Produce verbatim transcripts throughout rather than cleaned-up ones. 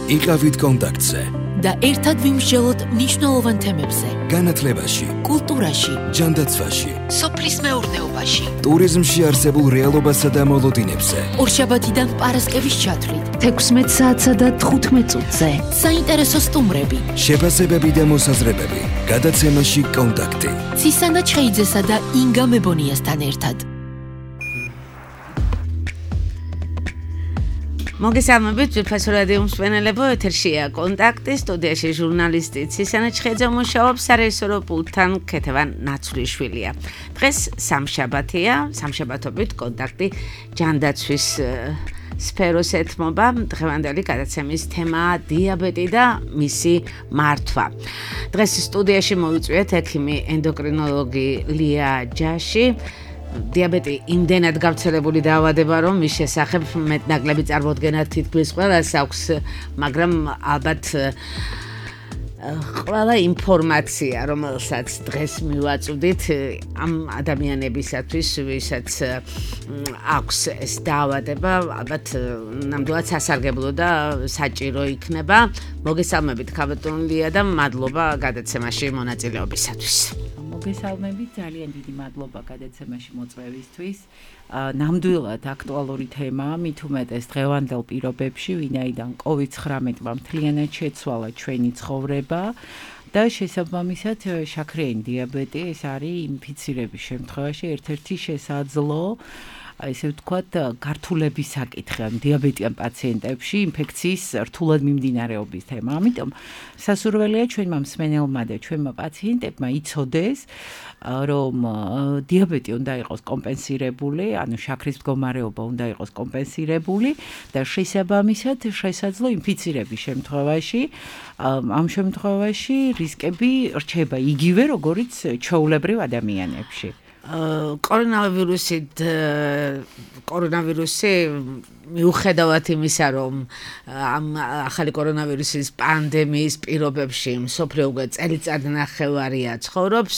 იყავით კონტაქტზე და ერთად ვიმსჯელოთ მნიშვნელოვან თემებზე. განათლებაში, კულტურაში, ჯანდაცვაში, სოფლის მეურნეობაში, ტურიზმში არსებულ რეალობასა და მოლოდინებზე. ორშაბათიდან პარასკევის ჩათვლით, თექვსმეტ საათსა და თხუთმეტ წუთზე. საინტერესო სტუმრები, შეფასებები და მოსაზრებები. გადაცემაში კონტაქტი. ცისანა ჩხეიძესა და ინგა მებონიასთან ერთად. მოგესალმებით, ძვირფასო რადიო მსმენელებო, ეთერშია კონტაქტი, სტუდიაში ჟურნალისტი ცისანა ჩხეიძე მუშაობს, სარეჟისორო პულტთან ქეთევან ნაცვლიშვილია. დღეს სამშაბათია, სამშაბათობით კონტაქტი ჯანდაცვის სფეროს ეთმობა. დღევანდელი გადაცემის თემაა დიაბეტი და მისი მართვა. დღეს სტუდიაში მოვიწვიეთ ექიმი ენდოკრინოლოგი ლია ჯაში. დიაბეტი იმდენად გავრცელებული დაავადება, რომ მის შესახებ მეტნაკლები წარმოდგენა თითქმის ყველას აქვს, მაგრამ ალბათ ყველა ინფორმაცია, რომელსაც დღეს მივაწვდით ამ ადამიანებისათვის, ვისაც აქვს ეს დაავადება, ალბათ ნამდვილად სასარგებლო და საჭირო იქნება. მოგესალმებით, ქაბატონლია და მადლობა გადაცემაში მონაწილეობისათვის. მოგესალმებით, ძალიან დიდი მადლობა გადაცემაში მოწვევისთვის. ნამდვილად აქტუალური თემაა, მით უმეტეს დღევანდელ პირობებში, ვინაიდან კოვიდ ცხრამეტმა მთლიანად შეცვალა ჩვენი ცხოვრება და შესაბამისად შაქრიანი დიაბეტი ეს არის ინფიცირების შემთხვევაში ერთ-ერთი შესაძლო ესე ვთქვათ, გართულების საკითხი ან დიაბეტიან პაციენტებში ინფექციის რთულად მიმდინარეობის თემა. ამიტომ სასურველია ჩვენმა მსმენელმა და ჩვენმა პაციენტებმა იცოდეს, რომ დიაბეტი უნდა იყოს კომპენსირებული, ანუ შაქრის მდგომარეობა უნდა იყოს კომპენსირებული და შესაბამისად შესაძლო ინფიცირების შემთხვევაში, ამ შემთხვევაში რისკები რჩება იგივე, როგორიც ჩვეულებრივ ადამიანებში. კორონავირუსი კორონავირუსი მიუხედავად იმისა, რომ ამ ახალი კორონავირუსის პანდემიის პირობებში მსოფლიო უკვე წელიწად ნახევარია ცხოვრობს,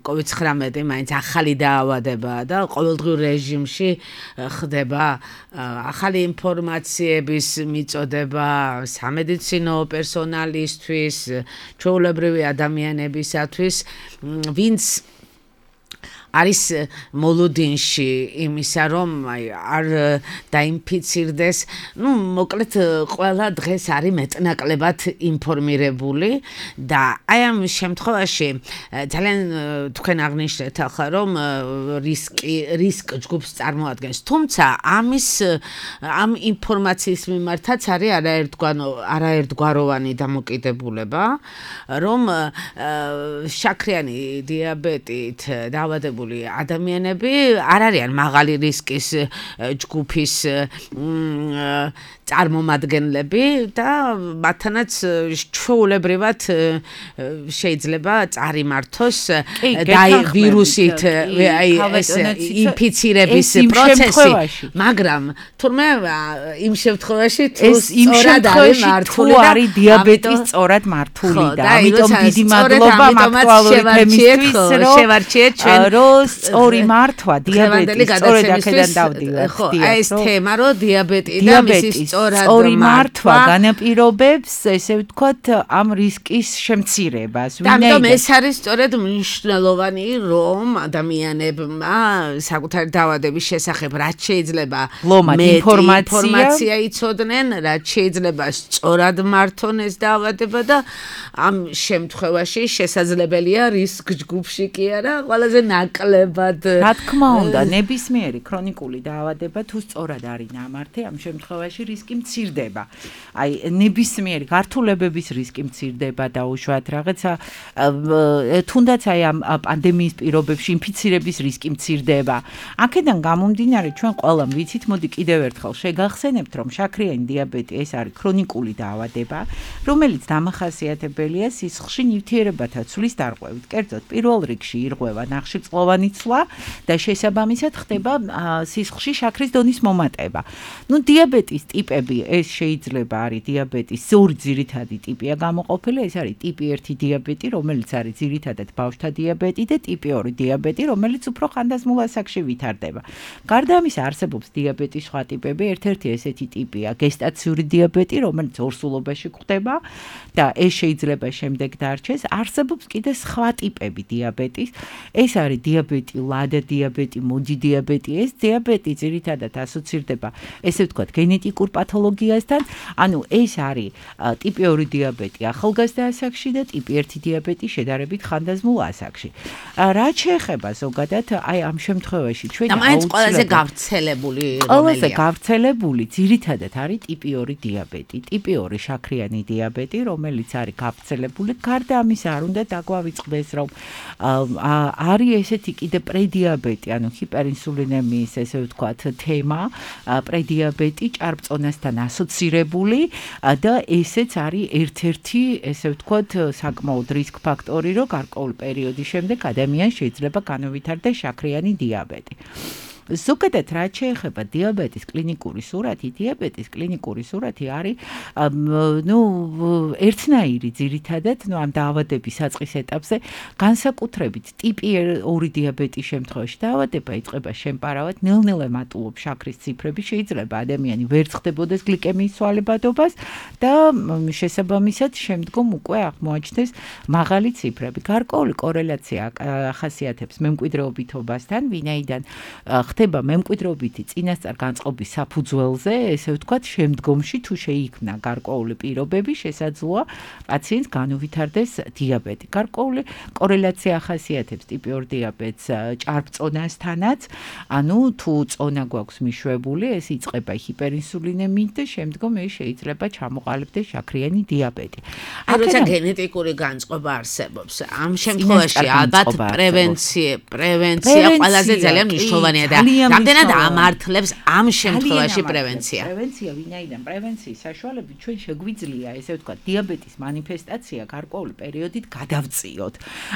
კოვიდ ცხრამეტი მაინც ახალი დაავადებაა და ყოველდღიურ რეჟიმში ხდება ახალი ინფორმაციების მიწოდება სამედიცინო პერსონალისთვის, ჩვეულებრივი ადამიანებისათვის, ვინც არის მოლოდინში იმისა, რომ არ დაინფიცირდეს, ну, მოკლედ ყველა დღეს არის მეტნაკლებად ინფორმირებული და აი ამ შემთხვევაში ძალიან თქვენ აღნიშნეთ ახლა, რომ რისკი რისკ ჯგუფს წარმოადგენს, თუმცა ამის ამ ინფორმაციის მიმართაც არის არაერთგვარო არაერთგვაროვანი დამოკიდებულება, რომ შაქრიანი დიაბეტით დაავადებული ადამიანები არ არიან მაღალი რისკის ჯგუფის წარმომადგენლები და მათთანაც ჩვეულებრივად შეიძლება წარიმართოს და ვირუსით აი ეს ინფიცირების პროცესი, მაგრამ თურმე იმ შემთხვევაში თუ სწორად არის მართული და არის დიაბეტის სწორად მართული და ამიტომ დიდი მადლობა აქტუალური თემისთვის, რომ შევარჩიეთ ჩვენ რომ სწორი მართვა დიაბეტის სწორედ აქედან დავდივართ. ხო, აი ეს თემა, რომ დიაბეტი და მისი სწორი მართვა განაპირობებს, ესე ვთქვათ, ამ რისკის შემცირებას. ამიტომ ეს არის სწორედ მნიშვნელოვანი, რომ ადამიანებმა საკუთარი დაავადების შესახებ რაც შეიძლება მეტი ინფორმაცია იცოდნენ, რაც შეიძლება სწორად მართონ ეს დაავადება და ამ შემთხვევაში შესაძლებელია რისკ ჯგუფში კი არა, ყველაზე ნაკლებად. რა თქმა უნდა, ნებისმიერი ქრონიკული დაავადება თუ სწორად არის ნამართი, ამ შემთხვევაში რისკი მცირდება. აი, ნებისმიერი გართულებების რისკი მცირდება და უშუალოდ რაღაცა თუნდაც აი ამ პანდემიის პირობებში ინფიცირების რისკი მცირდება. აქედან გამომდინარე, ჩვენ ყველამ ვიცით, მოდი კიდევ ერთხელ შეგახსენებთ, რომ შაქრიანი დიაბეტი ეს არის ქრონიკული დაავადება, რომელიც დამახასიათებელია სისხლში ნივთიერებათა ცვლის დარღვევით. კერძოდ, პირველ რიგში ირღვევა ნახშირწყლოვანი მნიშვნელოვანი ცვლა და შესაბამისად ხდება სისხლში შაქრის დონის მომატება. ნუ დიაბეტის ტიპები ეს შეიძლება არის დიაბეტის ორი ძირითადი ტიპია გამოყოფილი, ეს არის ტიპი ერთი დიაბეტი, რომელიც არის ძირითადად ბავშვთა დიაბეტი და ტიპი ორი დიაბეტი, რომელიც უფრო ხანდაზმულ ასაკში ვითარდება. გარდა ამისა არსებობს დიაბეტის სხვა ტიპები, ერთ-ერთი ესეთი ტიპია გესტაციური დიაბეტი, რომელიც ორსულობაში გვხდება და ეს შეიძლება შემდეგ დარჩეს. არსებობს კიდე სხვა ტიპები დიაბეტის, ეს არის დიაბეტი ლადა დიაბეტი, მოდი დიაბეტი, ეს დიაბეტი ძირითადად ასოცირდება, ესე ვთქვათ, გენეტიკურ პათოლოგიასთან, ანუ ეს არის ტიპი ორი დიაბეტი ახალგაზრდა ასაკში და ტიპი ერთი დიაბეტი შედარებით ხანდაზმულ ასაკში. რაც შეეხება ზოგადად, აი ამ შემთხვევაში ჩვენ აუცილებლად ყველაზე გავრცელებული ყველაზე გავრცელებული ძირითადად არის ტიპი ორი დიაბეტი, ტიპი ორი შაქრიანი დიაბეტი, რომელიც არის გავრცელებული. გარდა ამისა არ უნდა დაგვავიწყდეს, რომ არის ესეთი კიდე პრედიაბეტი, ანუ ჰიპერინსულინემიის, ესე ვთქვათ, თემა, პრედიაბეტი ჭარბწონასთან ასოცირებული და ესეც არის ერთ-ერთი, ესე ვთქვათ, საკმაოდ რისკ ფაქტორი, რომ გარკვეული პერიოდის შემდეგ ადამიანს შეიძლება განუვითარდეს შაქრიანი დიაბეტი. ზოგადად რაც შეეხება დიაბეტის კლინიკური სურათი, დიაბეტის კლინიკური სურათი არის ნუ ერთნაირი ძირითადად, ნუ ამ დაავადების საწყის ეტაპზე, განსაკუთრებით ტიპი ორი დიაბეტის შემთხვევაში დაავადება იწყება შემპარავად, ნელ-ნელა ემატულობს შაქრის ციფრები, შეიძლება ადამიანი ვერ ცხდებოდეს გლიკემიის ცვალებადობას და შესაბამისად შემდგომ უკვე აღმოაჩნდეს მაღალი ციფრები. გარკვეული კორელაცია ახასიათებს მემკვიდრეობითობასთან, ვინაიდან ხდება მემკვიდრეობითი წინასწარ განწყობის საფუძველზე, ესე ვთქვათ, შემდგომში თუ შეიქმნა გარკვეული პირობები, შესაძლოა პაციენტს განუვითარდეს დიაბეტი. გარკვეული კორელაცია ახასიათებს ტიპი ორი დიაბეტს ჭარბწონასთანაც, ანუ თუ წონა გვაქვს მიშვებული, ეს იწყება ჰიპერინსულინემიით და შემდგომ ეს შეიძლება ჩამოყალიბდეს შაქრიანი დიაბეტი. როცა გენეტიკური განწყობა არსებობს, ამ შემთხვევაში ალბათ პრევენცია, პრევენცია ყველაზე ძალიან მნიშვნელოვანია და რამდენად ამართლებს ამ შემთხვევაში პრევენცია. პრევენცია, ვინაიდან პრევენციის საშუალებით ჩვენ შეგვიძლია, ესე ვთქვათ, დიაბეტის მანიფესტაცია გარკვეული პერიოდით გადავწიოთ.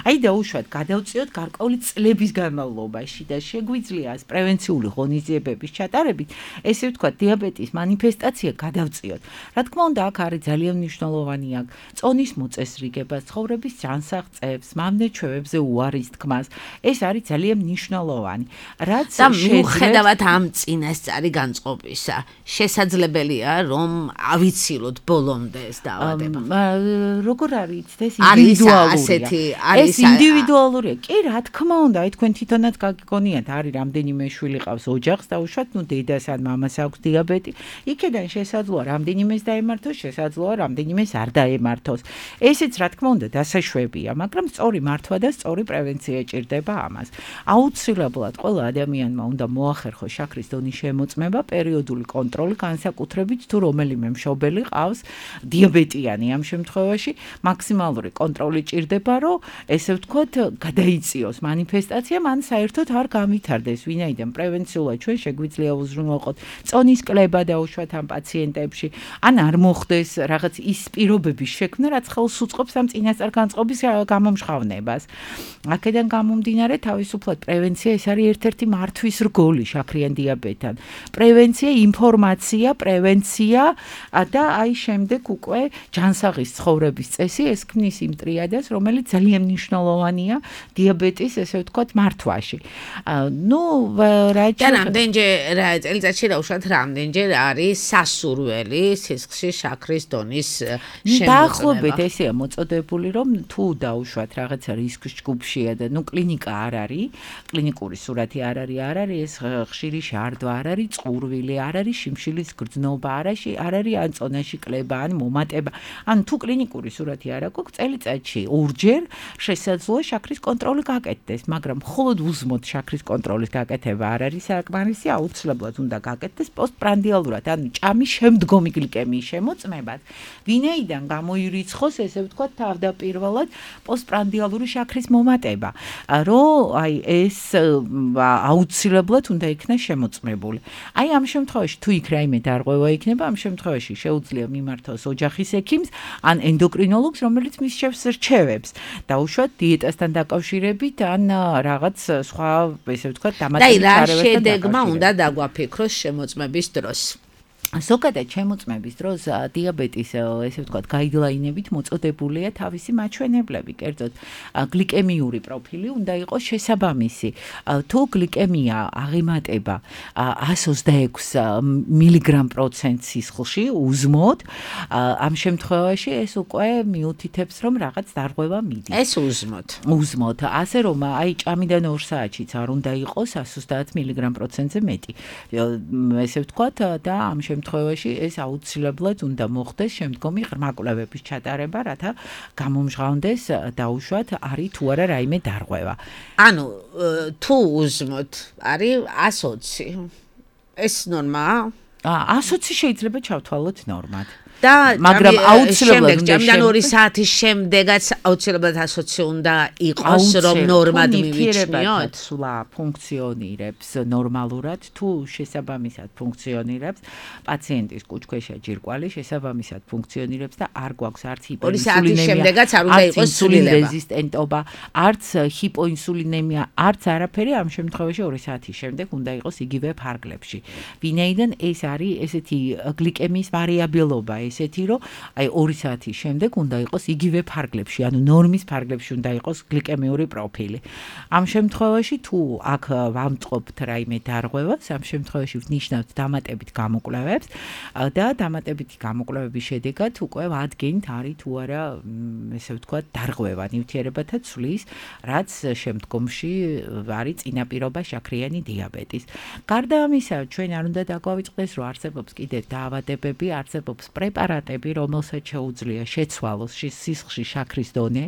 აი დაუშვათ, გადავწიოთ გარკვეული წლების განმავლობაში და შეგვიძლია ეს პრევენციული ღონისძიებების ჩატარებით, ესე ვთქვათ, დიაბეტის მანიფესტაცია გადავწიოთ. რა თქმა უნდა, აქ არის ძალიან მნიშვნელოვანი აქ წონის მოწესრიგება, ცხოვრების ჯანსაღწევს, მამნეჩვევებზე უარის თქმას. ეს არის ძალიან მნიშვნელოვანი. რაც და მიუხედავად ამ წინასწარი განწყობისა, შესაძლებელია, რომ ავიცილოთ ბოლომდე ეს დაავადება. როგორ არის იცდეს ინდივიდუალურია. ეს ინდივიდუალურია. კი, რა თქმა უნდა, აი თქვენ თვითონაც გაგიგონიათ, არის რამდენიმე შვილი ყავს ოჯახს და უშუალოდ ნუ დედას ან მამას აქვს დიაბეტი, იქიდან შესაძლოა რამდენიმეს დაემართოს, შესაძლოა რამდენიმეს არ დაემართოს. ესეც რა თქმა უნდა დასაშვებია, მაგრამ სწორი მართვა და სწორი პრევენცია ჭირდება ამას. აუცილებლად ყველა ადამიანმა უნდა მოახერხოს შაქრის დონის შემოწმება, პერიოდული კონტროლი, განსაკუთრებით თუ რომელიმე მშობელი ყავს დიაბეტიანი ამ შემთხვევაში, მაქსიმალური კონტროლი ჭირდება, რომ ესე ვთქვათ, გადაიწიოს მანიფესტაცია, მან საერთოდ არ გავითარდეს, ვინაიდან პრევენციულად ჩვენ შეგვიძლია უზრუნველყოთ წონის კლება დაუშვათ ამ პაციენტებში, ან არ მოხდეს რაღაც ის პირობების შექმნა, რაც ხელს უწყობს ამ წინასწარ განწყობის გამომჟღავნებას. აქედან გამომდინარე, თავისუფლად პრევენცია ეს არის ერთ-ერთი მართვის რგოლი შაქრიან დიაბეტთან. პრევენცია, ინფორმაცია, პრევენცია და აი შემდეგ უკვე ჯანსაღის ცხოვრების წესი ეს ქმნის იმ ტრიადას, რომელიც ძალიან მნიშვნელოვანია დიაბეტის, ესე ვთქვათ, მართვაში. ნუ რა და რამდენჯერ წელიწადში დაუშვათ რამდენჯერ არის სასურველი სისხლში შაქრის დონის შემოწმება. დაახლოებით ესეა მოწოდებული, რომ თუ დაუშვათ რაღაცა რისკის ჯგუფშია და ნუ კლინიკა არ არის, კლინიკური სურათი არ არის, არ არის ეს ხშირი შარდვა, არ არის წყურვილი, არ არის შიმშილის გრძნობა, არ არის არ არის ან წონაში კლება, ან მომატება. ან თუ კლინიკური სურათი არ აქვს, წელიწადში ორჯერ შესაძლოა შაქრის კონტროლი გაკეთდეს, მაგრამ მხოლოდ უსმოთ შაქრის კონტროლის გაკეთება არ არის საკმარისი, აუცილებლად უნდა გაკეთდეს პოსტპრანდიალურად, ანუ ჭამის შემდგომი გლიკემიის შემოწმებაც, ვინაიდან გამოირიცხოს, ესე ვთქვათ, თავდაპირველად პოსტპრანდიალური შაქრის მომატება, რომ აი ეს აუცილებლად აუცილებლად უნდა იქნას შემოწმებული. აი ამ შემთხვევაში თუ იქ რაიმე დარღვევა იქნება, ამ შემთხვევაში შეუძლია მიმართოს ოჯახის ექიმს ან ენდოკრინოლოგს, რომელიც მისცემს რჩევებს. დაუშვათ დიეტასთან დაკავშირებით ან რაღაც სხვა, ესე ვთქვათ, დამატებით და რა შედეგმა უნდა დაგვაფიქროს შემოწმების დროს. ზოგადად შემოწმების დროს დიაბეტის ესე ვთქვათ გაიდლაინებით მოწოდებულია თავისი მაჩვენებლები, კერძოდ გლიკემიური პროფილი უნდა იყოს შესაბამისი. თუ გლიკემია აღემატება εκατს ოცდაექვსი მილიგრამ პროცენტ სისხლში უზმოდ, ამ შემთხვევაში ეს უკვე მიუთითებს, რომ რაღაც დარღვევა მიდის. ეს უზმოდ. უზმოდ. ასე რომ აი ჭამიდან ორ საათშიც არ უნდა იყოს εκατს ოცდაათ მილიგრამ პროცენტზე მეტი. ესე ვთქვათ და ამ შემთხვევაში ეს აუცილებლად უნდა მოხდეს შემდგომი ღრმა კვლევების ჩატარება, რათა გამომჟღავნდეს დაუშვათ არის თუ არა რაიმე დარღვევა. ანუ თუ უზმოდ არის εκατს ოცი. ეს ნორმაა? εκατს ოცი შეიძლება ჩავთვალოთ ნორმად. და მაგრამ აუცილებლად უნდა ჭამიდან ორი საათის შემდეგაც აუცილებლად εκατს ოცი უნდა იყოს, რომ ნორმად მივიჩნიოთ. სულა ფუნქციონირებს ნორმალურად, თუ შესაბამისად ფუნქციონირებს პაციენტის კუჭქვეშა ჯირკვალი შესაბამისად ფუნქციონირებს და არ გვაქვს არც ჰიპოინსულინემია, შემდეგაც არ უნდა იყოს ცვლილება. რეზისტენტობა, არც ჰიპოინსულინემია, არც არაფერი ამ შემთხვევაში ორი საათის შემდეგ უნდა იყოს იგივე ფარგლებში. ვინაიდან ეს არის ესეთი გლიკემიის ვარიაბილობა, ესეთი რომ აი ორი საათის შემდეგ უნდა იყოს იგივე ფარგლებში, ანუ ნორმის ფარგლებში უნდა იყოს გლიკემიური პროფილი. ამ შემთხვევაში თუ აქ ვამწყობთ რაიმე დარღვევას, ამ შემთხვევაში ვნიშნავთ დამატებით გამოკვლევებს და დამატებითი გამოკვლევების შედეგად უკვე ვადგენთ არის თუ არა, ესე ვთქვათ, დარღვევა ნივთიერებათა ცვლის, რაც შემდგომში არის წინაპირობა შაქრიანი დიაბეტის. გარდა ამისა, ჩვენ არ უნდა დაგვავიწყდეს, რომ არსებობს კიდევ დაავადებები, არსებობს პრეპარატები, რომელსაც შეუძლია შეცვალოს სისხლში შაქრის დონე,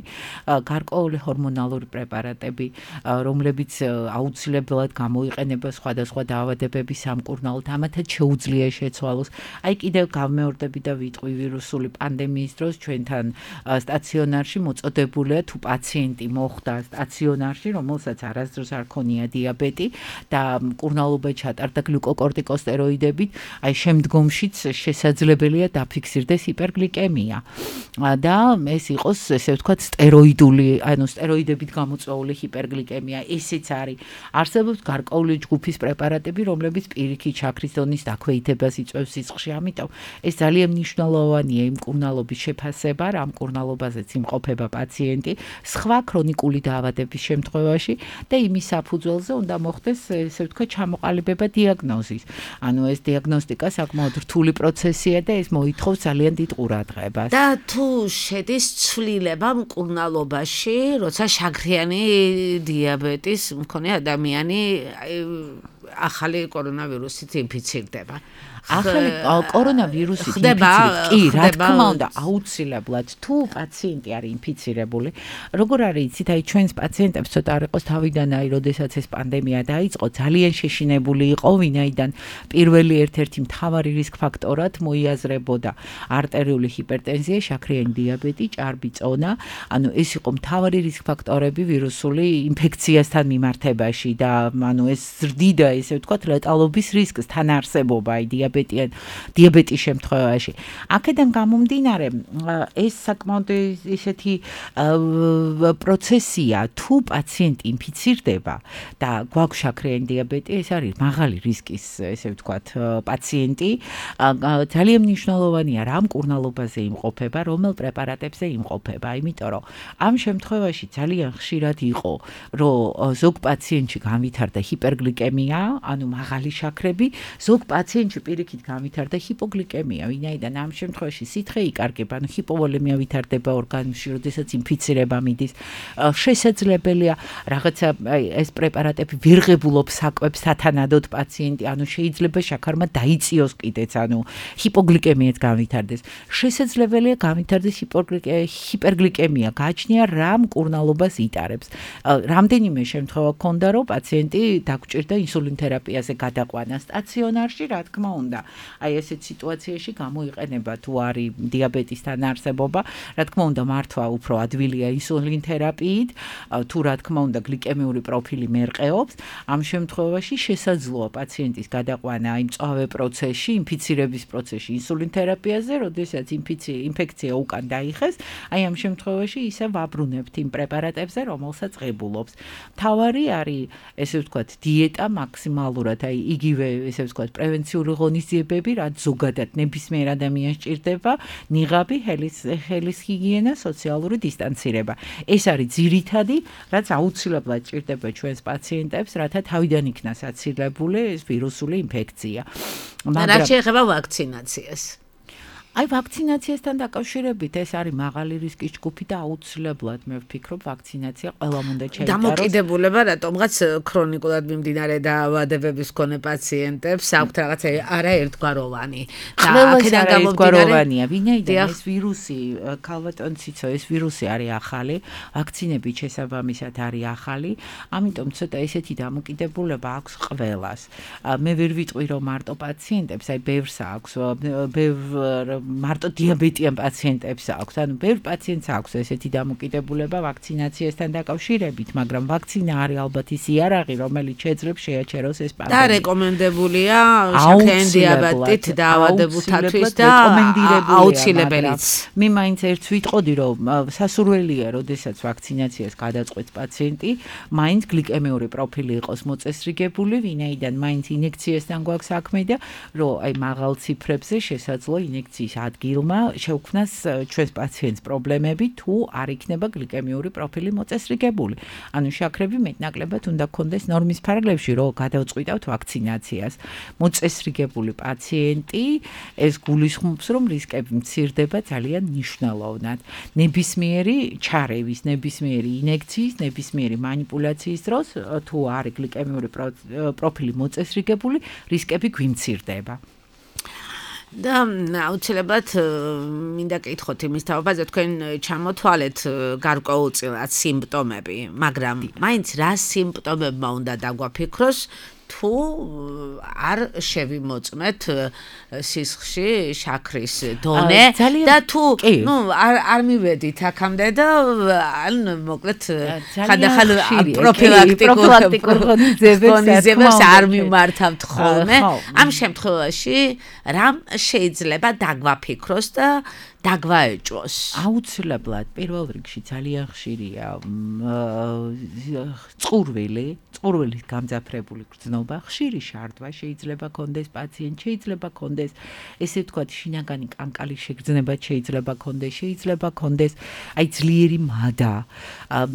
გარკვეული ჰორმონალური პრეპარატები, რომლებიც აუცილებლად გამოიყენება სხვადასხვა დაავადებების სამკურნალოდ, ამათაც შეუძლია შეცვალოს. აი კიდევ გავმეორდები და ვიტყვი ვირუსული პანდემიის დროს ჩვენთან სტაციონარში მოწოდებულია თუ პაციენტი მოხვდა სტაციონარში, რომელსაც არასდროს არ ქონია დიაბეტი და მკურნალობა ჩატარდა გლიკოკორტიკოსტეროიდებით, აი შემდგომშიც შესაძლებელია დაფიქსირდეს ჰიპერგლიკემია და ეს იყოს ესე ვთქვათ სტეროიდული, ანუ სტეროიდებით გამოწვეული ჰიპერგლიკემია, ესეც არის. არსებობს გარკვეული ჯგუფის პრეპარატები, რომლებიც პირიქით შაქრის დონის დაქვეითებას იწვევს სისხლში, ამიტომ ეს ძალიან მნიშვნელოვანია იმ მკურნალობის შეფასება, რა მკურნალობაზეც იმყოფება პაციენტი, სხვა ქრონიკული დაავადების შემთხვევაში და იმის საფუძველზე უნდა მოხდეს ესე ვთქვათ ჩამოყალიბება დიაგნოზის. ანუ ეს დიაგნოსტიკა საკმაოდ რთული პროცესია და ეს მოითხოვს ძალიან დიდ ყურადღებას. და თუ შედის ცვლილება მკურნალობაში, როცა შაქრიანი დიაბეტის მქონე ადამიანი ახალი კორონავირუსით ინფიცირდება. ახალი კორონავირუსით ინფიცირდება, კი, რა თქმა უნდა, აუცილებლად თუ პაციენტი არის ინფიცირებული, როგორ არის იცით, აი ჩვენს პაციენტებს ცოტა არ იყოს თავიდან, აი როდესაც ეს პანდემია დაიწყო, ძალიან შეშინებული იყო, ვინაიდან პირველი ერთ-ერთი მთავარი რისკ ფაქტორად მოიაზრებოდა არტერიული ჰიპერტენზია, შაქრიანი დიაბეტი, ჭარბი წონა, ანუ ეს იყო მთავარი რისკ ფაქტორები ვირუსული ინფექციასთან მიმართებაში და ანუ ეს ზრდიდა, ესე ვთქვათ, ლეტალობის რისკს თან არსებობა, აი დიაბეტიან დიაბეტის შემთხვევაში. აქედან გამომდინარე, ეს საკმაოდ ისეთი პროცესია, თუ პაციენტი ინფიცირდება და გვაქვს შაქრიანი დიაბეტი, ეს არის მაღალი რისკის, ესე ვთქვათ, პაციენტი, ძალიან მნიშვნელოვანია რა მკურნალობაზე იმყოფება, რომელ პრეპარატებზე იმყოფება, იმიტომ რომ ამ შემთხვევაში ძალიან ხშირად იყო, რომ ზოგ პაციენტში განვითარდა ჰიპერგლიკემია, ანუ მაღალი შაქრები, ზოგ პაციენტში პირიქით განვითარდა ჰიპოგლიკემია, ვინაიდან ამ შემთხვევაში სითხე იკარგება, ანუ ჰიპოვოლემია ვითარდება ორგანიზმში, როდესაც ინფიცირება მიდის. შესაძლებელია რაღაცა ეს პრეპარატები ვერ ღებულობს საკვებს სათანადოდ პაციენტი, ანუ შეიძლება შაქარმა დაიწიოს კიდეც, ანუ ჰიპოგლიკემიაც განვითარდეს. შესაძლებელია განვითარდეს ჰიპერგლიკემია, გააჩნია რა მკურნალობას იტარებს. რამდენიმე შემთხვევა ქონდა, რომ პაციენტი დაგვჭირდა ინსულინ თერაპიაზე გადაყვანა სტაციონარში, რა თქმა უნდა. უნდა. აი ესეთ სიტუაციაში გამოიყენება თუ არის დიაბეტისთან არსებობა, რა თქმა უნდა მართვა უფრო ადვილია ინსულინ თერაპიით, თუ რა თქმა უნდა გლიკემიური პროფილი მერყეობს, ამ შემთხვევაში შესაძლოა პაციენტის გადაყვანა იმ მწვავე პროცესში, ინფიცირების პროცესში ინსულინ თერაპიაზე, როდესაც ინფექცია უკან დაიხეს, აი ამ შემთხვევაში ისე ვაბრუნებთ იმ პრეპარატებზე, რომელსაც ღებულობს. თავარი არის, ესე ვთქვათ, დიეტა მაქსიმალურად, აი იგივე, ესე ვთქვათ, პრევენციული ღონისძიებები, რაც ზოგადად ნებისმიერ ადამიანს ჭირდება, ნიღაბი, ხელის ხელის ჰიგიენა, სოციალური დისტანცირება. ეს არის ძირითადი, რაც აუცილებლად ჭირდება ჩვენს პაციენტებს, რათა თავიდან იქნას აცილებული ეს ვირუსული ინფექცია. მაგრამ რა შეეხება ვაქცინაციას? აი ვაქცინაციასთან დაკავშირებით ეს არის მაღალი რისკის ჯგუფი და აუცილებლად მე ვფიქრობ ვაქცინაცია ყველამ უნდა ჩაიტაროს. დამოკიდებულება რატომღაც ქრონიკულად მიმდინარე დაავადებების მქონე პაციენტებს აქვთ რაღაცა არაერთგვაროვანი და აქედან გამომდინარე ვინაიდან ეს ვირუსი ქალბატონ ციცო ეს ვირუსი არის ახალი, ვაქცინებით შესაბამისად არის ახალი, ამიტომ ცოტა ესეთი დამოკიდებულება აქვს ყველას. მე ვერ ვიტყვი რომ მარტო პაციენტებს, აი ბევრს აქვს, ბევრ მარტო დიაბეტიან პაციენტებს აქვს, ანუ ბევრ პაციენტს აქვს ესეთი დამოკიდებულება ვაქცინაციასთან დაკავშირებით, მაგრამ ვაქცინა არის ალბათ ის იარაღი, რომელიც შეძლებს შეაჩეროს ეს პანდემია. და რეკომენდებულია შაქრიანი დიაბეტით დაავადებულთათვის და აუცილებელიც. მე მაინც ერთს ვიტყოდი, რომ სასურველია, როდესაც ვაქცინაციას გადაწყვეტს პაციენტი, მაინც გლიკემიური პროფილი იყოს მოწესრიგებული, ვინაიდან მაინც ინექციასთან გვაქვს საქმე და რომ აი მაღალ ციფრებზე შესაძლოა ინექციის ადგილმა შეუქმნას ჩვენს პაციენტს პრობლემები, თუ არ იქნება გლიკემიური პროფილი მოწესრიგებული. ანუ შაქრები მეტნაკლებად უნდა გქონდეს ნორმის ფარგლებში, რომ გადავწყვიტავთ ვაქცინაციას. მოწესრიგებული პაციენტი ეს გულისხმობს, რომ რისკები მცირდება ძალიან მნიშვნელოვნად. ნებისმიერი ჩარევის, ნებისმიერი ინექციის, ნებისმიერი მანიპულაციის დროს, თუ არის გლიკემიური პროფილი მოწესრიგებული, რისკები გვიმცირდება. და აუცილებლად მინდა კითხოთ იმის თაობაზე, თქვენ ჩამოთვალეთ გარკვეულწილად სიმპტომები, მაგრამ მაინც რა სიმპტომებმა უნდა დაგვაფიქროს, თუ არ შევიმოწმეთ სისხლში შაქრის დონე და თუ ნუ არ არ მივედით აქამდე და ან მოკლედ ხანდახან პროფილაქტიკურ ღონისძიებებს არ მიმართავთ ხოლმე. ამ შემთხვევაში რამ შეიძლება დაგვაფიქროს და დაგვაეჭვოს? აუცილებლად პირველ რიგში ძალიან ხშირია წყურვილი, წყურვილის გამძაფრებული გრძნობა, ხშირი შარდვა შეიძლება კონდეს პაციენტ, შეიძლება კონდეს ესე ვთქვათ შინაგანი კანკალის შეგრძნება შეიძლება კონდეს, შეიძლება კონდეს აი ძლიერი მადა,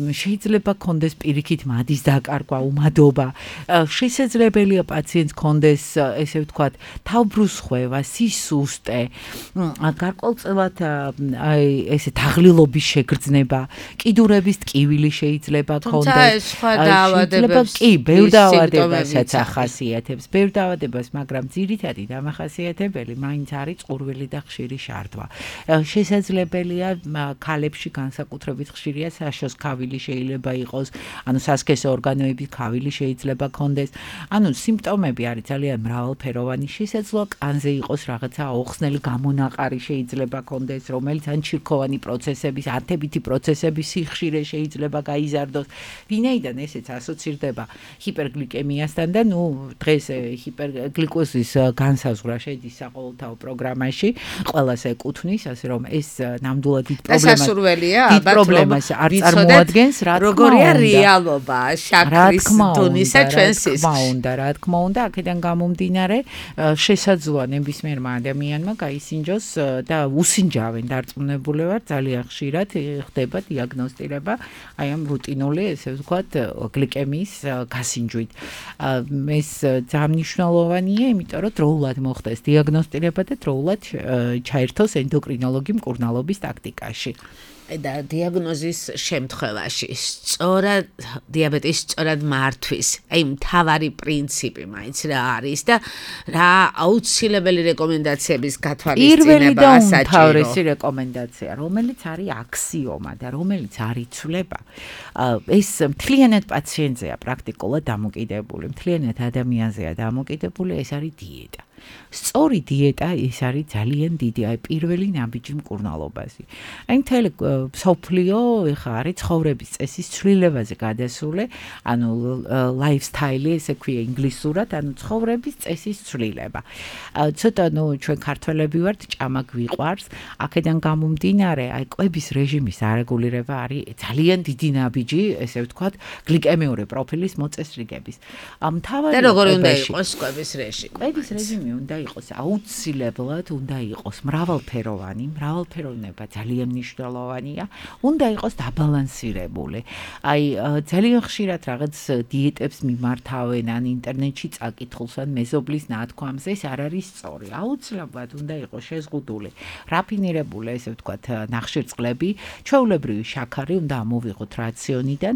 შეიძლება კონდეს პირიქით მადის დაკარგვა, უმადობა, შესაძლებელია პაციენტს კონდეს ესე ვთქვათ თავბრუსხვევა, სისუსტე, გარკვეულწილად აი ესე თაღლილობის შეგრძნება, კიდურების ტკივილი შეიძლება კონდეს. თუმცა ეს სხვა დაავადებებს კი, ბევრ დაავადებასაც ახასიათებს, ბევრ დაავადებას, მაგრამ ძირითადი დამახასიათებელი მაინც არის წყურვილი და ხშირი შარდვა. შესაძლებელია ქალებში განსაკუთრებით ხშირია საშოს ქავილი შეიძლება იყოს, ანუ სასქესო ორგანოების ქავილი შეიძლება კონდეს. ანუ სიმპტომები არის ძალიან მრავალფეროვანი, შესაძლოა კანზე იყოს რაღაცა აუხსნელი გამონაყარი შეიძლება კონდეს, რომელიც ან ჩირქოვანი პროცესების, ათებითი პროცესების სიხშირე შეიძლება გაიზარდოს. ვინაიდან ესეც ასოცირდება ჰიპერგლიკემიასთან და ნუ დღეს ჰიპერგლიკოზის განსაზღვრა შედის საყოველთაო პროგრამაში, ყველას ეკუთვნის, ასე რომ ეს ნამდვილად დიდ პრობლემას სასურველია, დიდ პრობლემას არ წარმოადგენს, რა თქმა უნდა. როგორია რეალობა შაქრის დონისა ჩვენ სისხლში? რა უნდა, რა თქმა უნდა, აქედან გამომდინარე, შესაძლოა ნებისმიერმა ადამიანმა გაისინჯოს და უსინჯავენ დარწმუნებულები ძალიან ხშირად ხდება დიაგნოსტირება აი ამ რუტინული, ესე ვთქვათ, გლიკემიის გასინჯვით. ეს ძალიან მნიშვნელოვანია, იმიტომ რომ დროულად მოხდეს დიაგნოსტირება და დროულად ჩაერთოს ენდოკრინოლოგი მკურნალობის ტაქტიკაში. და დიაგნოზის შემთხვევაში სწორად დიაბეტის სწორად მართვის აი მთავარი პრინციპი მაინც რა არის და რა აუცილებელი რეკომენდაციების გათვალისწინება ასაჭირო? უმთავრესი რეკომენდაცია, რომელიც არის აქსიომა და რომელიც არ იცვლება, ეს მთლიანად პაციენტზეა პრაქტიკულად დამოკიდებული, მთლიანად ადამიანზეა დამოკიდებული, ეს არის დიეტა. სწორი დიეტა ის არის ძალიან დიდი, აი პირველი ნაბიჯი მკურნალობაზე. აი მთელი მსოფლიო ეხა არის ცხოვრების წესის ცვლილებაზე გადასული, ანუ lifestyle ესე ქვია ინგლისურად, ანუ ცხოვრების წესის ცვლილება. ცოტა ნუ ჩვენ ქართველები ვართ, ჭამა გვიყვარს, აქედან გამომდინარე, აი კვების რეჟიმის არეგულირება არის ძალიან დიდი ნაბიჯი, ესე ვთქვათ, გლიკემიური პროფილის მოწესრიგების. მთავარი და როგორი უნდა იყოს კვების რეჟიმი? კვების რეჟიმი უნდა იყოს აუცილებლად უნდა იყოს მრავალფეროვანი, მრავალფეროვნება ძალიან მნიშვნელოვანია, უნდა იყოს დაბალანსირებული. აი ძალიან ხშირად რაღაც დიეტებს მიმართავენ ან ინტერნეტში წაკითხულს ან მეზობლის ნათქვამს, ეს არ არის სწორი. აუცილებლად უნდა იყოს შეზღუდული, რაფინირებული, ესე ვთქვათ, ნახშირწყლები, ჩვეულებრივი შაქარი უნდა ამოვიღოთ რაციონიდან,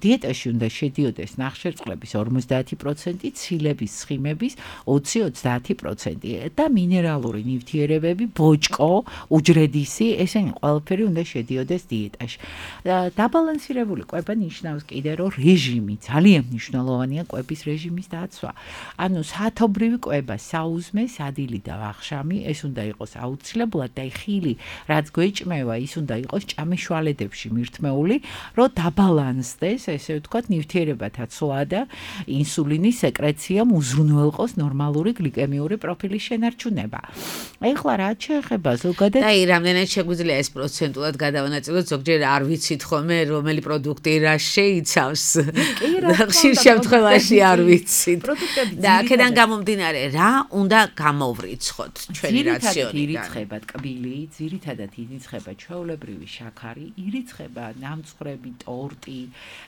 დიეტაში უნდა შედიოდეს ნახშირწყლების ორმოცდაათი პროცენტი, ცილების, ცხიმების ოცი-ოცდაათი პროცენტი და მინერალური ნივთიერებები, ბოჭკო, უჯრედისი, ესენი ყველაფერი უნდა შედიოდეს დიეტაში. დაბალანსირებული კვება ნიშნავს კიდე, რომ რეჟიმი ძალიან მნიშვნელოვანია კვების რეჟიმის დაცვა. ანუ საათობრივი კვება, საუზმე, სადილი და ვახშამი, ეს უნდა იყოს აუცილებლად და ხილი, რაც გვეჭმევა, ის უნდა იყოს ჭამის შვალედებში მირთმეული, რომ დაბალანსდეს, ესე ვთქვათ, ნივთიერებათა ცვლა და ინსულინის სეკრეციამ უზრუნველყოს ნორმალური გლიკემიური პროფილის შენარჩუნება. ეხლა რაც შეეხება ზოგადად და აი რამდენად შეგვიძლია ეს პროცენტულად გადავანაწილოთ, ზოგჯერ არ ვიცით ხოლმე რომელი პროდუქტი რა შეიცავს. ხშირ შემთხვევაში არ ვიცით. და აქედან გამომდინარე, რა უნდა გამოვრიცხოთ ჩვენი რაციონიდან? ირიცხება ტკბილი, ძირითადად ირიცხება ჩვეულებრივი შაქარი, ირიცხება ნამცხრები, ტორტი,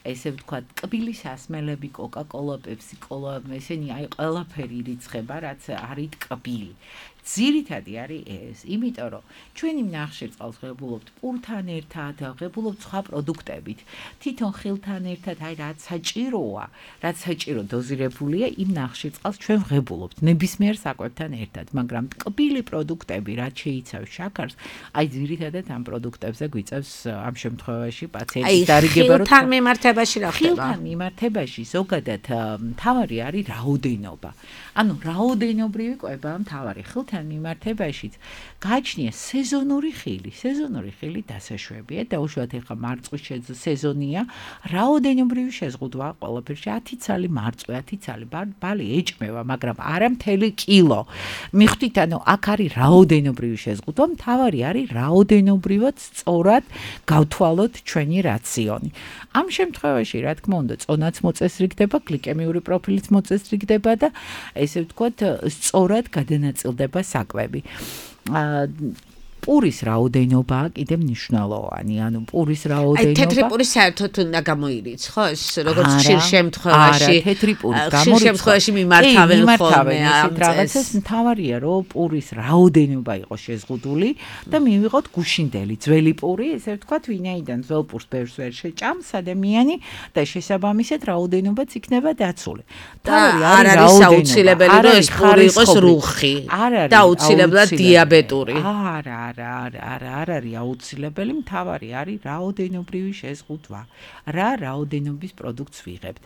ესე ვთქვათ, ტკბილი სასმელები, კოკა-კოლა, პეპსი-კოლა, ესენი აი ყველაფერი ირიცხება, რაც არის ტკბილი. ძირითადი არის ეს, იმიტომ რომ ჩვენი ნახშირწყალს ღებულობთ პურთან ერთად, ღებულობთ სხვა პროდუქტებით. თვითონ ხილთან ერთად, აი რაც საჭიროა, რაც საჭირო დოზირებულია, იმ ნახშირწყალს ჩვენ ღებულობთ ნებისმიერ საკვებთან ერთად, მაგრამ ტკბილი პროდუქტები, რაც შეიცავს შაქარს, აი ძირითადად ამ პროდუქტებზე გვიწევს ამ შემთხვევაში პაციენტის დარიგება, რომ ხილთან მიმართებაში რა ხდება? ხილთან მიმართებაში ზოგადად მთავარი არის რაოდენობა. ანუ რაოდენობრივი კვება მთავარი ხილთან მიმართებაშიც გააჩნია სეზონური ხილი. სეზონური ხილი დასაშვებია და უშუალოდ ეხა მარწყვის სეზონია, რაოდენობრივი შეზღუდვა ყველაფერში ათი ცალი მარწყვი, ათი ცალი ბალი ეჭმევა, მაგრამ არა მთელი კილო. მიხვდით, ანუ აქ არის რაოდენობრივი შეზღუდვა, მთავარი არის რაოდენობრივად სწორად გავთვალოთ ჩვენი რაციონი. ამ შემთხვევაში, რა თქმა უნდა, წონაც მოწესრიგდება, გლიკემიური პროფილიც მოწესრიგდება და ესე ვთქვათ, სწორად გადანაწილდება საკვები. პურის რაოდენობა კიდე მნიშვნელოვანი, ანუ პურის რაოდენობა. აი თეთრი პური საერთოდ უნდა გამოირიცხოს, როგორც ხშირ შემთხვევაში. არა, თეთრი პური გამორიცხოს. ხშირ შემთხვევაში მიმართავენ ხოლმე ამ რაღაცას, მთავარია, რომ პურის რაოდენობა იყოს შეზღუდული და მივიღოთ გუშინდელი ძველი პური, ესე ვთქვათ, ვინაიდან ძველ პურს ბევრს ვერ შეჭამს ადამიანი და შესაბამისად რაოდენობაც იქნება დაცული. თავი არ არის აუცილებელი, რომ ეს პური იყოს რუხი და აუცილებლად დიაბეტური. არა, არა, არა, არ არის აუცილებელი, მთავარი არის რაოდენობრივი შეზღუდვა. რა რაოდენობის პროდუქტს ვიღებთ.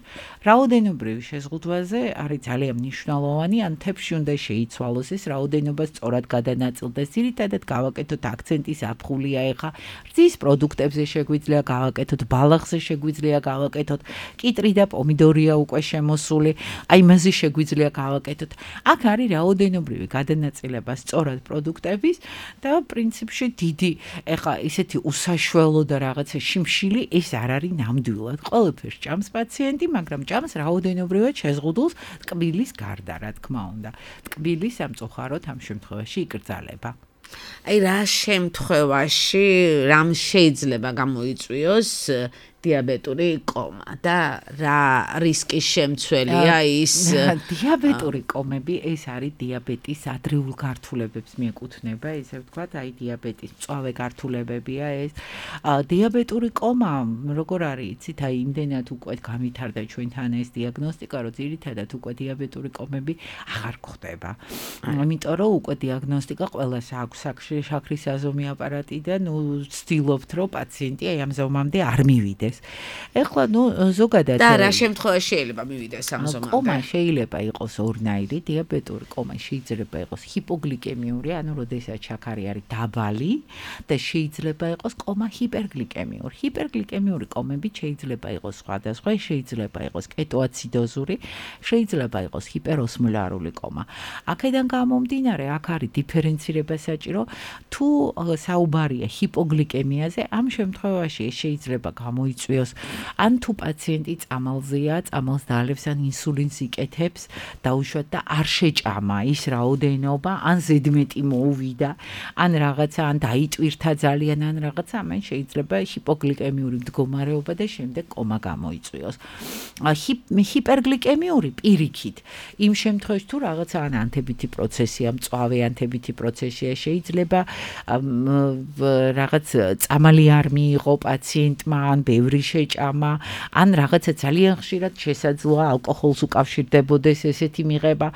რაოდენობრივი შეზღუდვაზე არის ძალიან მნიშვნელოვანი, ან თებში უნდა შეიცვალოს ეს რაოდენობა სწორად გადანაწილდეს. ძირითადად გავაკეთოთ აქცენტი ზაფხულია ეხა. რძის პროდუქტებზე შეგვიძლია გავაკეთოთ, ბალახზე შეგვიძლია გავაკეთოთ, კიტრი და პომიდორია უკვე შემოსული, აი იმაზე შეგვიძლია გავაკეთოთ. აქ არის რაოდენობრივი გადანაწილება სწორად პროდუქტების და პრინციპში დიდი, ეხა ისეთი უსაშველო და რაღაცა შიმშილი ეს არ არის ნამდვილად. ყველაფერს ჭამს პაციენტი, მაგრამ ჭამს რაოდენობრივად შეზღუდულს ტკბილის გარდა, რა თქმა უნდა. ტკბილი სამწუხაროდ ამ შემთხვევაში იკრძალება. აი რა შემთხვევაში რამ შეიძლება გამოიწვიოს დიაბეტური კომა და რა რისკის შემცველია ის? დიაბეტური კომები ეს არის დიაბეტის ადრეულ გართულებებს მიეკუთვნება, ესე ვთქვათ, აი დიაბეტის მწვავე გართულებებია ეს. დიაბეტური კომა, როგორ არის, იცით, აი იმდენად უკვე გამithარდა ჩვენთან ეს დიაგნოსტიკა, რომ ძირითადად უკვე დიაბეტური კომები აღარ გვხდება. იმიტომ რომ უკვე დიაგნოსტიკა ყველას აქვს შაქრის აზომი აპარატი და ნუ ვცდილობთ, რომ პაციენტი აი ამ ზომამდე არ მივიდეს. მივიდეს. ეხლა ნუ ზოგადად და რა შემთხვევაში შეიძლება მივიდეს ამ ზომამდე? კომა შეიძლება იყოს ორნაირი, დიაბეტური კომა შეიძლება იყოს ჰიპოგლიკემიური, ანუ როდესაც შაქარი არის დაბალი და შეიძლება იყოს კომა ჰიპერგლიკემიური. ჰიპერგლიკემიური კომები შეიძლება იყოს სხვადასხვა, შეიძლება იყოს კეტოაციდოზური, შეიძლება იყოს ჰიპეროსმოლარული კომა. აქედან გამომდინარე, აქ არის დიფერენცირება საჭირო, თუ საუბარია ჰიპოგლიკემიაზე, ამ შემთხვევაში შეიძლება გამოიწვიოს ან თუ პაციენტი წამალზეა, წამალს დაალევს ან ინსულინს იკეთებს, დაუშვათ და არ შეჭამა ის რაოდენობა, ან ზედმეტი მოუვიდა, ან რაღაცა, ან დაიტვირთა ძალიან, ან რაღაცა, ამან შეიძლება ჰიპოგლიკემიური მდგომარეობა და შემდეგ კომა გამოიწვიოს. ჰიპერგლიკემიური პირიქით, იმ შემთხვევაში თუ რაღაცა ან ანთებითი პროცესია, მწვავე ანთებითი პროცესია, შეიძლება რაღაც წამალი არ მიიღო პაციენტმა, ან ბევრი შეჭამა, ან რაღაცა ძალიან ხშირად შესაძლოა ალკოჰოლს უკავშირდებოდეს ესეთი მიღება.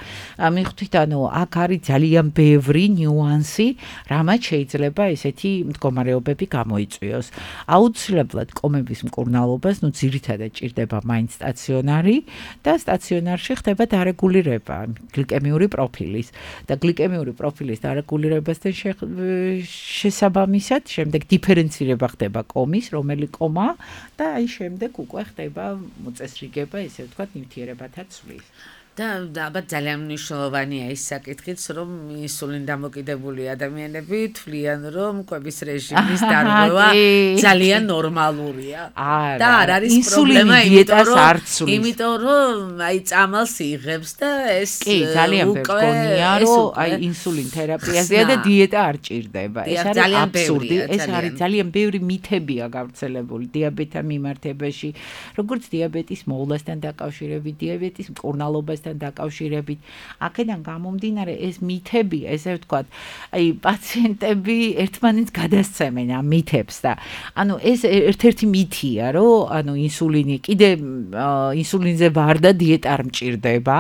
მიხვდით, ანუ აქ არის ძალიან ბევრი ნიუანსი, რამაც შეიძლება ესეთი მდგომარეობები გამოიწვიოს. აუცილებლად კომების მკურნალობას, ნუ ძირითადად ჭირდება მაინც სტაციონარი და სტაციონარში ხდება დარეგულირება გლიკემიური პროფილის და გლიკემიური პროფილის დარეგულირებასთან შესაბამისად, შემდეგ დიფერენცირება ხდება კომის, რომელი კომა და აი შემდეგ უკვე ხდება მოწესრიგება, ესე ვთქვათ, ნივთიერებათა ცვლის. და ალბათ ძალიან მნიშვნელოვანია ის საკითხიც, რომ ინსულინ დამოკიდებული ადამიანები თვლიან, რომ კვების რეჟიმის დარღვევა ძალიან ნორმალურია. და არ არის პრობლემა, იმიტომ რომ აი წამალს იღებს და ეს კი, ძალიან ბევრია, რომ აი ინსულინ თერაპიაზეა და დიეტა არ ჭირდება. ეს არის აბსურდი, ეს არის ძალიან ბევრი მითებია გავრცელებული დიაბეტთან მიმართებაში, როგორც დიაბეტის მოვლასთან დაკავშირებით, დიაბეტის მკურნალობას დაკავშირებით. აქედან გამომდინარე ეს მითები, ესე ვთქვათ, აი პაციენტები ერთმანეთს გადასცემენ ამ მითებს და ანუ ეს ერთ-ერთი მითია, რომ ანუ ინსულინი კიდე ინსულინზე ვარ და დიეტა არ მჭირდება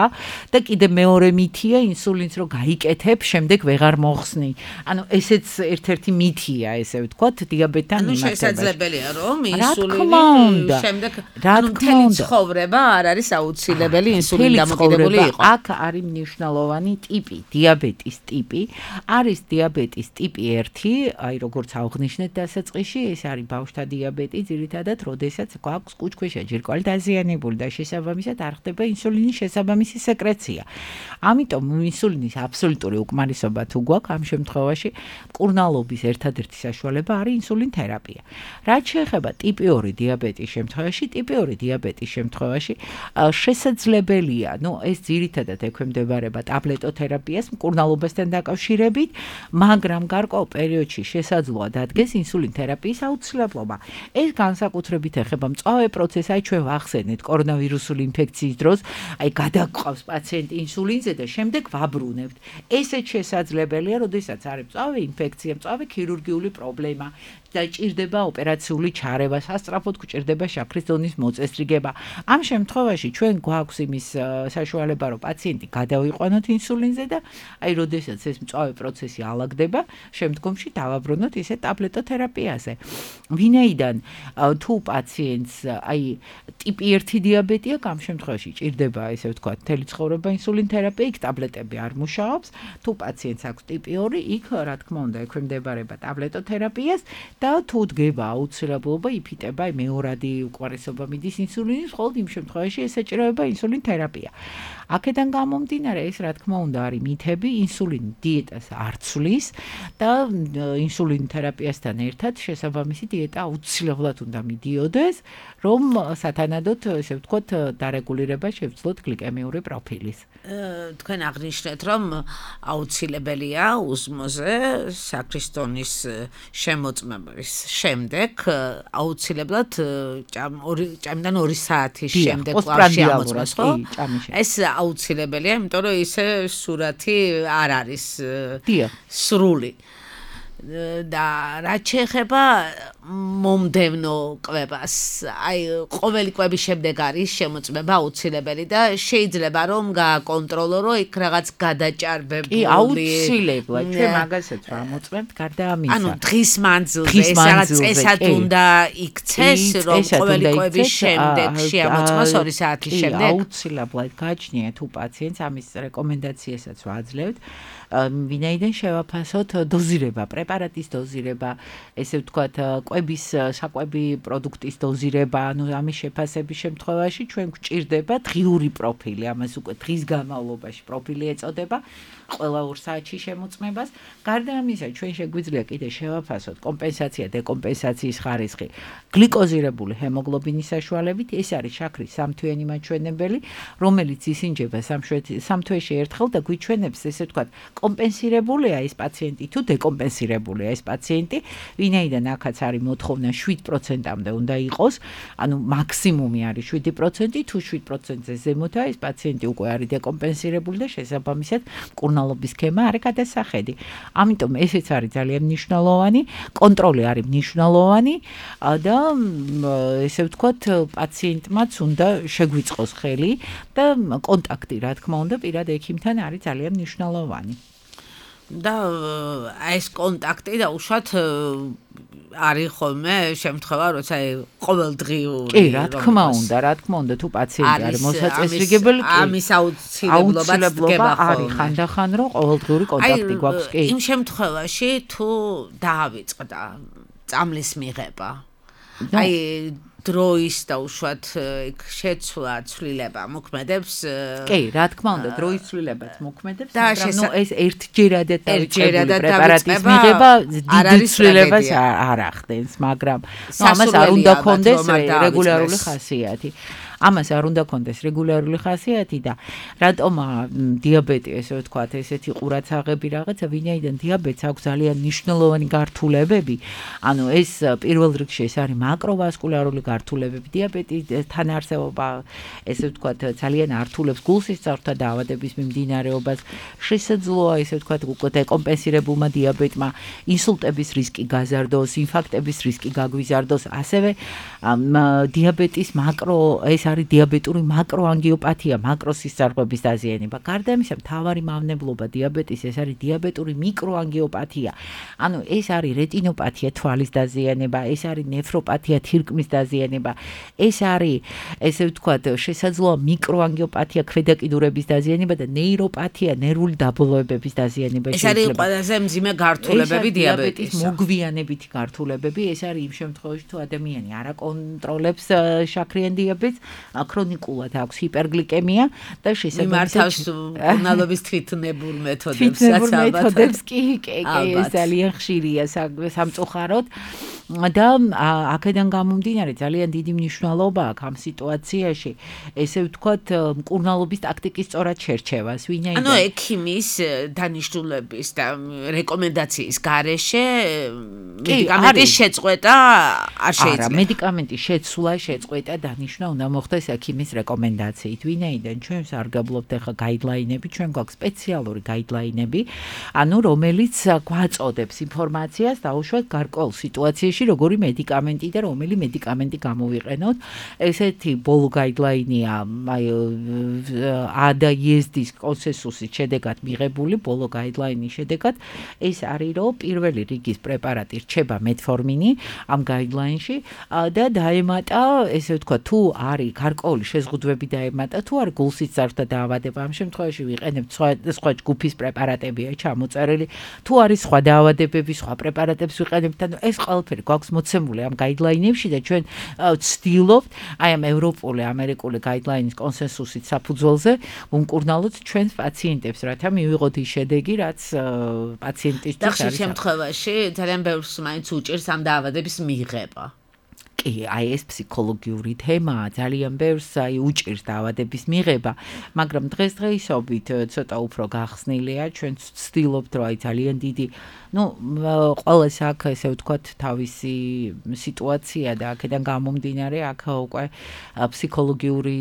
და კიდე მეორე მითია, ინსულინს რო გაიკეთებ, შემდეგ ვეღარ მოხსნი. ანუ ესეც ერთ-ერთი მითია, ესე ვთქვათ, დიაბეტთან მიმართებაში. ანუ შესაძლებელია, რომ ინსულინი შემდეგ ანუ მთელი ცხოვრება არ არის აუცილებელი ინსულინ დამოკიდებული. აქ არის მნიშვნელოვანი ტიპი, დიაბეტის ტიპი. არის დიაბეტის ტიპი ერთი, აი როგორც აღნიშნეთ დასაწყისში, ეს არის ბავშვთა დიაბეტი, ძირითადად, როდესაც გვაქვს კუჭქვეშა ჯირკვალი დაზიანებული და შესაბამისად არ ხდება ინსულინის შესაბამისი სეკრეცია. ამიტომ ინსულინის აბსოლუტური უკმარისობა თუ გვაქვს, ამ შემთხვევაში მკურნალობის ერთადერთი საშუალება არის ინსულინ თერაპია. რაც შეეხება ტიპი ორი დიაბეტის შემთხვევაში, ტიპი ორი დიაბეტის შემთხვევაში შესაძლებელია, ნუ ეს ძირითადად ექვემდებარება ტაბლეტოთერაპიას მკურნალობასთან დაკავშირებით, მაგრამ გარკვეულ პერიოდში შესაძლოა დადგეს ინსულინ თერაპიის აუცილებლობა. ეს განსაკუთრებით ეხება მწვავე პროცესს, აი ჩვენ ვახსენეთ კორონავირუსული ინფექციის დროს, აი გადაგვყავს პაციენტი ინსულინზე და შემდეგ ვაბრუნებთ. ესეც შესაძლებელია, როდესაც არის მწვავე ინფექცია, მწვავე ქირურგიული პრობლემა და ჭირდება ოპერაციული ჩარევა, სასწრაფოდ გვჭირდება შაქრის დონის მოწესრიგება. ამ შემთხვევაში ჩვენ გვაქვს იმის საშუალება, რომ პაციენტი გადავიყვანოთ ინსულინზე და აი როდესაც ეს მწვავე პროცესი ალაგდება, შემდგომში დავაბრუნოთ ისე ტაბლეტოთერაპიაზე. ვინაიდან თუ პაციენტს აი ტიპი ერთი დიაბეტი აქვს, ამ შემთხვევაში ჭირდება, ესე ვთქვათ, მთელი ცხოვრება ინსულინ თერაპია, იქ ტაბლეტები არ მუშაობს. თუ პაციენტს აქვს ტიპი ორი, იქ რა თქმა უნდა ექვემდებარება ტაბლეტოთერაპიას და თუ დგება აუცილებლობა, იფიტება მეორადი უკმარისობა მიდის ინსულინის, მხოლოდ იმ შემთხვევაში ესაჭიროება ინსულინ თერაპია. აქედან გამომდინარე, ეს რა თქმა უნდა არის მითები, ინსულინ დიეტას არ ცვლის და ინსულინ თერაპიასთან ერთად შესაბამისი დიეტა აუცილებლად უნდა მიდიოდეს, რომ სათანადოდ, ესე ვთქვათ, დარეგულირება შევძლოთ გლიკემიური პროფილის. თქვენ აღნიშნეთ, რომ აუცილებელია უსმოზე შაქრის დონის შემოწმების შემდეგ აუცილებლად ჭამიდან ორი საათის შემდეგ კლავში ამოწმოს, ხო? ეს აუცილებელია, იმიტომ რომ ისე სურათი არ არის სრული. და რაც შეეხება მომდევნო კვებას, აი ყოველი კვების შემდეგ არის შემოწმება აუცილებელი და შეიძლება რომ გააკონტროლო, რომ იქ რაღაც გადაჭარბებული. კი, აუცილებლად. ჩვენ მაგასაც ვამოწმებთ, გარდა ამისა. ანუ დღის მანძილზე ეს რაღაც წესად უნდა იქცეს, რომ ყოველი კვების შემდეგ შეამოწმოს ორი საათის შემდეგ. აუცილებლად გააჩნია თუ პაციენტს ამის რეკომენდაციასაც ვაძლევთ. ვინაიდან შევაფასოთ დოზირება, პრეპარატის დოზირება, ესე ვთქვათ, კვების საკვები პროდუქტის დოზირება, ანუ ამის შეფასების შემთხვევაში ჩვენ გვჭირდება დღიური პროფილი, ამას უკვე დღის განმავლობაში პროფილი ეწოდება, ყველა ორ საათში შემოწმებას. გარდა ამისა, ჩვენ შეგვიძლია კიდე შევაფასოთ კომპენსაცია, დეკომპენსაციის ხარისხი, გლიკოზირებული ჰემოგლობინის საშუალებით, ეს არის შაქრის სამთვიანი მაჩვენებელი, რომელიც ისინჯება სამ თვეში ერთხელ და გვიჩვენებს, ესე ვთქვათ, კომპენსირებულია ეს პაციენტი თუ დეკომპენსირებულია ეს პაციენტი, ვინაიდან აქაც არის მოთხოვნა შვიდ პროცენტამდე უნდა იყოს, ანუ მაქსიმუმი არის შვიდი პროცენტი, თუ შვიდ პროცენტზე ზემოთაა ეს პაციენტი უკვე არის დეკომპენსირებული და შესაბამისად მკურნალობის სქემა არის გადასახედი. ამიტომ ესეც არის ძალიან მნიშვნელოვანი, კონტროლი არის მნიშვნელოვანი და ესე ვთქვათ, პაციენტმაც უნდა შეგვიწყოს ხელი და კონტაქტი, რა თქმა უნდა, პირად ექიმთან არის ძალიან მნიშვნელოვანი. და ეს კონტაქტი დაუშვათ არის ხოლმე შემთხვევა, როცა ყოველდღიური. კი, რა თქმა უნდა, რა თქმა უნდა, თუ პაციენტი არის მოსაწესრიგებელი, ამის აუცილებლობაც დგება არის ხანდახან, რომ ყოველდღიური კონტაქტი გვაქვს, კი. იმ შემთხვევაში თუ დაავიწყდა წამლის მიღება. აი დროის და უშუალოდ შეცვლა ცვლილება მოქმედებს. კი, რა თქმა უნდა, დროის ცვლილებაც მოქმედებს, მაგრამ ნუ ეს ერთჯერადად დავიწყებული პრეპარატის მიღება დიდ ცვლილებას არ ახდენს, მაგრამ ნუ ამას არ უნდა კონდეს რეგულარული ხასიათი. ამას არ უნდა კონდეს რეგულარული ხასიათი და რატომ დიაბეტი, ესე ვთქვათ, ესეთი ყურაცაღები რაღაცა, ვინაიდან დიაბეტს აქვს ძალიან მნიშვნელოვანი გართულებები. ანუ ეს პირველ რიგში ეს არის მაკროვასკულარული გართულებები, დიაბეტთან არსებობა, ესე ვთქვათ, ძალიან ართულებს გულსისწორთა დაავადების მიმდინარეობას, შესაძლოა, ესე ვთქვათ, უკვე დეკომპენსირებულმა დიაბეტმა ინსულტების რისკი გაზარდოს, ინფარქტების რისკი გაგვიზარდოს, ასევე დიაბეტის მაკრო ეს არის დიაბეტური მაკროანგიოპათია, მაკროსისწრაფების დაზიანება. გარდა ამისა, მთავარი მავნებლობა დიაბეტის ეს არის დიაბეტური მიკროანგიოპათია. ანუ ეს არის რეტინოპათია, თვალის დაზიანება, ეს არის ნეფროპათია, თირკმლის დაზიანება. ეს არის, ესე ვთქვათ, შესაძლოა მიკროანგიოპათია, ქვედაკიდურების დაზიანება და ნეიროპათია, ნერვული დაბოლოებების დაზიანება შეიძლება. ეს არის ყველაზე მძიმე გართულებები დიაბეტის. მოგვიანებითი გართულებები, ეს არის იმ შემთხვევაში, თუ ადამიანი არ აკონტროლებს შაქრიან დიაბეტს, ქრონიკულად აქვს ჰიპერგლიკემია და შესაძლოა მიმართავს მკურნალობის თვითნებურ მეთოდებსაც. თვითნებურ მეთოდებს კი, კი, ეს ძალიან ხშირია სამწუხაროდ და აქედან გამომდინარე ძალიან დიდი მნიშვნელობა აქვს ამ სიტუაციაში, ესე ვთქვათ, მკურნალობის ტაქტიკის სწორად შერჩევას, ვინაიდან ანუ ექიმის დანიშნულების და რეკომენდაციის გარეშე მედიკამენტის შეწყვეტა არ შეიძლება. არა, მედიკამენტის შეცვლა, შეწყვეტა დანიშნა უნდა მოხდეს ექიმის რეკომენდაციით, ვინაიდან ჩვენ სარგებლობთ ახლა გაიდლაინები, ჩვენ გვაქვს სპეციალური გაიდლაინები, ანუ რომელიც გვაწოდებს ინფორმაციას დაუშვათ გარკვეულ სიტუაციაში, როგორი მედიკამენტი და რომელი მედიკამენტი გამოვიყენოთ. ესეთი ბოლო გაიდლაინია აი A და E-ს კონსენსუსის შედეგად მიღებული, ბოლო გაიდლაინის შედეგად ეს არის, რომ პირველი რიგის პრეპარატი რჩება მეტფორმინი ამ გაიდლაინში და დაემატა, ესე ვთქვათ, თუ არის გარკვეული შეზღუდვები დაემატა, თუ არის გულსისწრაფთა დაავადება, ამ შემთხვევაში ვიყენებთ სხვა სხვა ჯგუფის პრეპარატებია ჩამოწერილი, თუ არის სხვა დაავადებები, სხვა პრეპარატებს ვიყენებთ, ანუ ეს ყველაფერი გვაქვს მოცემული ამ გაიდლაინებში და ჩვენ ვცდილობთ აი ამ ევროპული, ამერიკული გაიდლაინის კონსენსუსით საფუძველზე უმკურნალოთ ჩვენს პაციენტებს, რათა მივიღოთ ის შედეგი, რაც პაციენტისთვის არის. და ხშირ შემთხვევაში ძალიან ბევრს მაინც უჭირს ამ დაავადების მიღება. კი, აი ეს ფსიქოლოგიური თემაა, ძალიან ბევრს აი უჭირს დაავადების მიღება, მაგრამ დღესდღეობით ცოტა უფრო გახსნილია, ჩვენც ვცდილობთ, რომ აი ძალიან დიდი, ну, ყოველს აქ ესე ვთქვათ, თავისი სიტუაცია და აქედან გამომდინარე, აქ უკვე ფსიქოლოგიური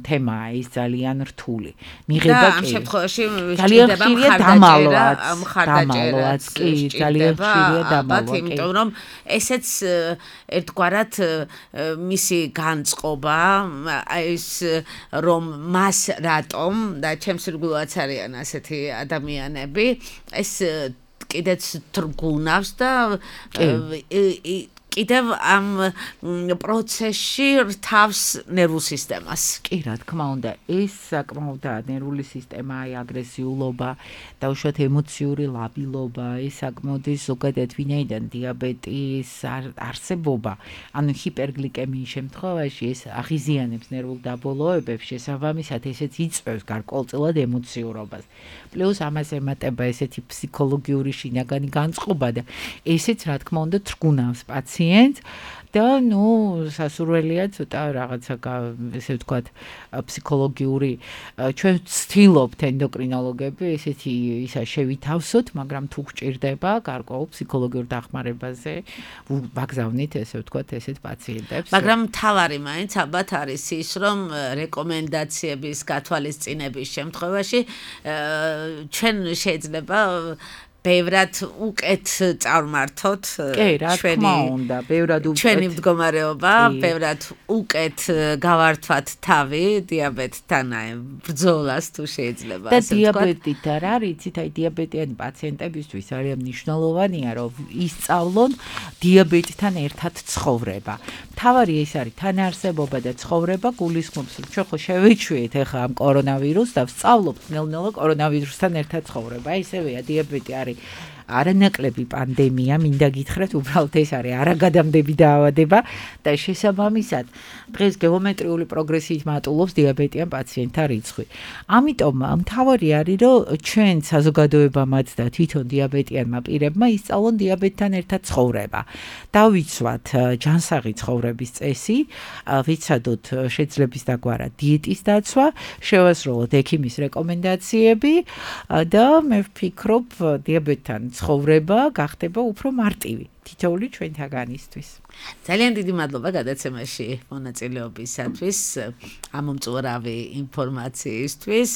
თემაა ის ძალიან რთული. მიღება და ამ კი შემთხვევაში ძალიან სჭირდება ხშირია მხარდაჭერა, დამალვაც, მხარდაჭერაც დამალვაც, კი, ძალიან ხშირია სჭირდება, დამალვა, ალბათ, კი. იმიტომ რომ ესეც ერთგვარად მისი განწყობა, აი ეს რომ მას რატომ და ჩემს რგულაც არიან ასეთი ადამიანები, ეს კიდეც თრგუნავს და კიდევ ამ პროცესში რთავს ნერვულ სისტემას. კი, რა თქმა უნდა, ეს საკმაოდაა ნერვული სისტემა, აი აგრესიულობა, დაუშვათ ემოციური ლაბილობა, ეს საკმაოდ ის ზოგადად ვინაიდან დიაბეტის არსებობა, ანუ ჰიპერგლიკემიის შემთხვევაში ეს აღიზიანებს ნერვულ დაბოლოებებს, შესაბამისად ესეც იწვევს გარკვეულწილად ემოციურობას. პლუს ამას ემატება ესეთი ფსიქოლოგიური შინაგანი განწყობა და ესეც რა თქმა უნდა თრგუნავს პაციენტს და ნუ სასურველია ცოტა რაღაცა ესე ვთქვათ ფსიქოლოგიური ჩვენ ვცდილობთ ენდოკრინოლოგები ესეთი ისა შევითავსოთ, მაგრამ თუ გჭირდება გარკვეულ ფსიქოლოგიურ დახმარებაზე ვაგზავნით ესე ვთქვათ ესეთ პაციენტებს. მაგრამ მთავარი მაინც ალბათ არის ის, რომ რეკომენდაციების გათვალისწინების შემთხვევაში ჩვენ შეიძლება ბევრად უკეთ წარმართოთ ჩვენი მდგომარეობა, ბევრად უკეთ გავართვათ თავი დიაბეტთან აი ბრძოლას თუ შეიძლება ასე ვთქვათ. და დიაბეტით არ არის, იცით, აი დიაბეტიანი პაციენტებისთვის არის მნიშვნელოვანია, რომ ისწავლონ დიაბეტთან ერთად ცხოვრება. მთავარი ეს არის თანაარსებობა და ცხოვრება, გულისხმობს, რომ ჩვენ ხო შევეჩვიეთ ახლა ამ კორონავირუსს და ვსწავლობთ ნელ-ნელა კორონავირუსთან ერთად ცხოვრება. აი ესევეა დიაბეტი არის არანაკლები პანდემია, მინდა გითხრათ, უბრალოდ ეს არის არაგადამდები დაავადება და შესაბამისად დღეს გეომეტრიული პროგრესიით მატულობს დიაბეტიან პაციენტთა რიცხვი. ამიტომ მთავარი არის, რომ ჩვენ საზოგადოებამაც და თვითონ დიაბეტიანმა პირებმა ისწავლონ დიაბეტთან ერთად ცხოვრება. დავიცვათ ჯანსაღი ცხოვრების წესი, ვიცადოთ შეძლების დაგვარა დიეტის დაცვა, შევასრულოთ ექიმის რეკომენდაციები და მე ვფიქრობ დიაბეტთან ცხოვრება გახდება უფრო მარტივი თითოეული ჩვენთაგანისთვის. ძალიან დიდი მადლობა გადაცემაში მონაწილეობისათვის, ამომწურავი ინფორმაციისთვის.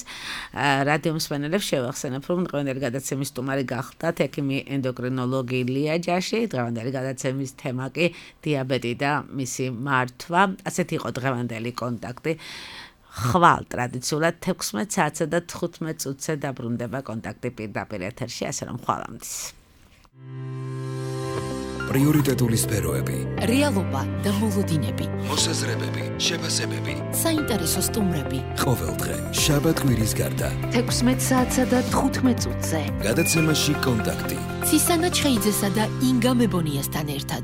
რადიო მსმენელებს შევახსენებ, რომ დღევანდელი გადაცემის სტუმარი გახდათ ექიმი ენდოკრინოლოგი ლია ჯაში. დღევანდელი გადაცემის თემა კი დიაბეტი და მისი მართვა. ასეთი იყო დღევანდელი კონტაქტი. ხვალ ტრადიციულად თექვსმეტ საათსა და თხუთმეტ წუთზე დაბრუნდება კონტაქტი პირდაპირ ეთერში, ასე რომ ხვალამდე. პრიორიტეტული სფეროები, რეალობა და მოლოდინები, მოსაზრებები, შეფასებები, საინტერესო სტუმრები. ყოველდღე შაბათ-კვირის გარდა თექვსმეტ საათსა და თხუთმეტ წუთზე გადაცემაში კონტაქტი. ცისანა ჩხეიძესა და ინგა მებონიასთან ერთად.